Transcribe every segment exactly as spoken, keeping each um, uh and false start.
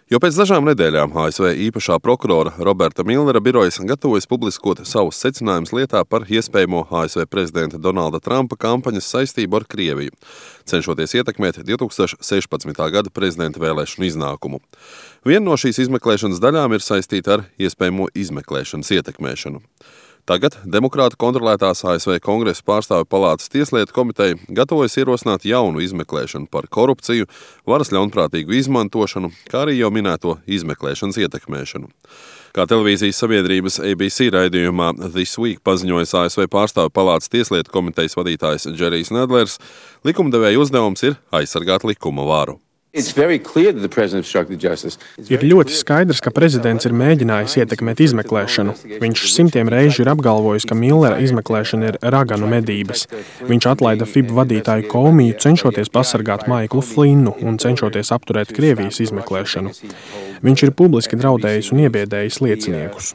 Jo pēc dažām nedēļām A S V īpašā prokurora Roberta Milnera birojas gatavojas publiskot savus secinājumus lietā par iespējamo A S V prezidenta Donalda Trumpa kampaņas saistību ar Krieviju, cenšoties ietekmēt divi tūkstoši sešpadsmitā gada prezidenta vēlēšanu iznākumu. Viena no šīs izmeklēšanas daļām ir saistīta ar iespējamo izmeklēšanas ietekmēšanu. Tagad demokrātu kontrolētās A S V Kongresa pārstāvju palātas tieslietu komiteja gatavojas ierosināt jaunu izmeklēšanu par korupciju, varas ļaunprātīgu izmantošanu, kā arī jau minēto izmeklēšanas ietekmēšanu. Kā televīzijas sabiedrības A B C raidījumā This Week paziņojas A S V pārstāvju palātas tieslietu komitejas vadītājs Džerijs Nedlers, likumdevēja uzdevums ir aizsargāt likuma varu. Ir ļoti skaidrs, ka prezidents ir mēģinājis ietekmēt izmeklēšanu. Viņš simtiem reižu ir apgalvojis, ka Millera izmeklēšana ir raganu medības. Viņš atlaida F I B vadītāju Komiju, cenšoties pasargāt Maiklu Flinnu un cenšoties apturēt Krievijas izmeklēšanu. Viņš ir publiski draudējis un iebiedējis lieciniekus.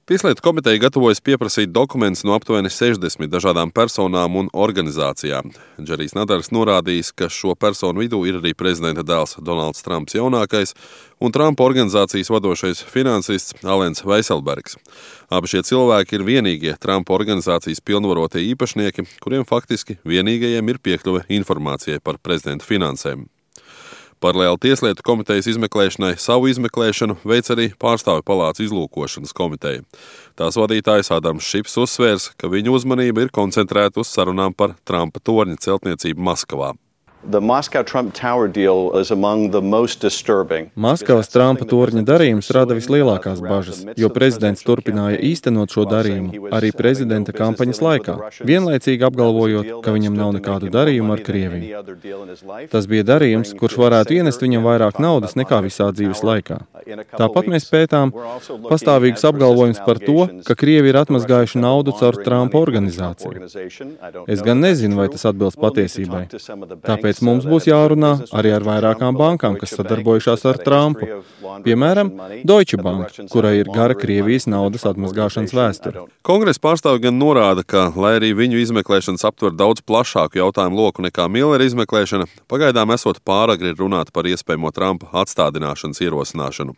Tieslietu komiteja gatavojas pieprasīt dokumentus no aptuveni sešdesmit dažādām personām un organizācijām. Džerijs Nedlers norādījis, ka šo personu vidū ir arī prezidenta dēls Donalds Trumps jaunākais un Trumpa organizācijas vadošais finansists Alens Veiselbergs. Abi šie cilvēki ir vienīgie Trumpa organizācijas pilnvarotie īpašnieki, kuriem faktiski vienīgajiem ir piekļuve informācijai par prezidenta finansēm. Paralēli tieslietu komitejas izmeklēšanai savu izmeklēšanu veic arī pārstāvju palātas izlūkošanas komiteja. Tās vadītājs Ādams Šips uzsvērs, ka viņa uzmanība ir koncentrēta uz sarunām par Trumpa torņa celtniecību Maskavā. Maskavas Trumpa torņa darījums rada vislielākās bažas, jo prezidents turpināja īstenot šo darījumu arī prezidenta kampaņas laikā, vienlaicīgi apgalvojot, ka viņam nav nekādu darījumu ar Krieviju. Tas bija darījums, kurš varētu ienest viņam vairāk naudas nekā visā dzīves laikā. Tāpat mēs pētām pastāvīgus apgalvojumus par to, ka Krievi ir atmazgājuši naudu caur Trumpa organizāciju. Es gan nezinu, vai tas atbilst patiesībai. Tāpēc mums būs jārunā arī ar vairākām bankām, kas sadarbojušās ar Trumpu. Piemēram, Deutsche Bank, kurai ir gara Krievijas naudas atmazgāšanas vēsture. Kongresa pārstāvji gan norāda, ka, lai arī viņu izmeklēšanas aptver daudz plašāku jautājumu loku nekā Millera izmeklēšana, pagaidām esot pāragri runāt par iespējamo Trumpa atstādināšanas ierosināšanu.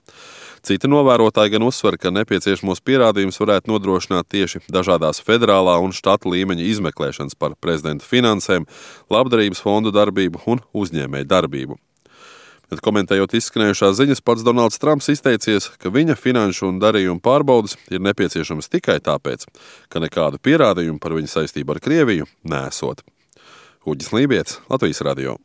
Citi novērotāji gan uzsver, ka nepieciešamos pierādījumus varētu nodrošināt tieši dažādās federālā un štatu līmeņa izmeklēšanas par prezidenta finansēm, labdarības fondu darbību un uzņēmēju darbību. Bet komentējot izskanējušās ziņas, pats Donalds Trumps izteicies, ka viņa finanšu un darījumu pārbaudes ir nepieciešamas tikai tāpēc, ka nekādu pierādījumu par viņa saistību ar Krieviju nesot. Uģis Lībietis, Latvijas radio.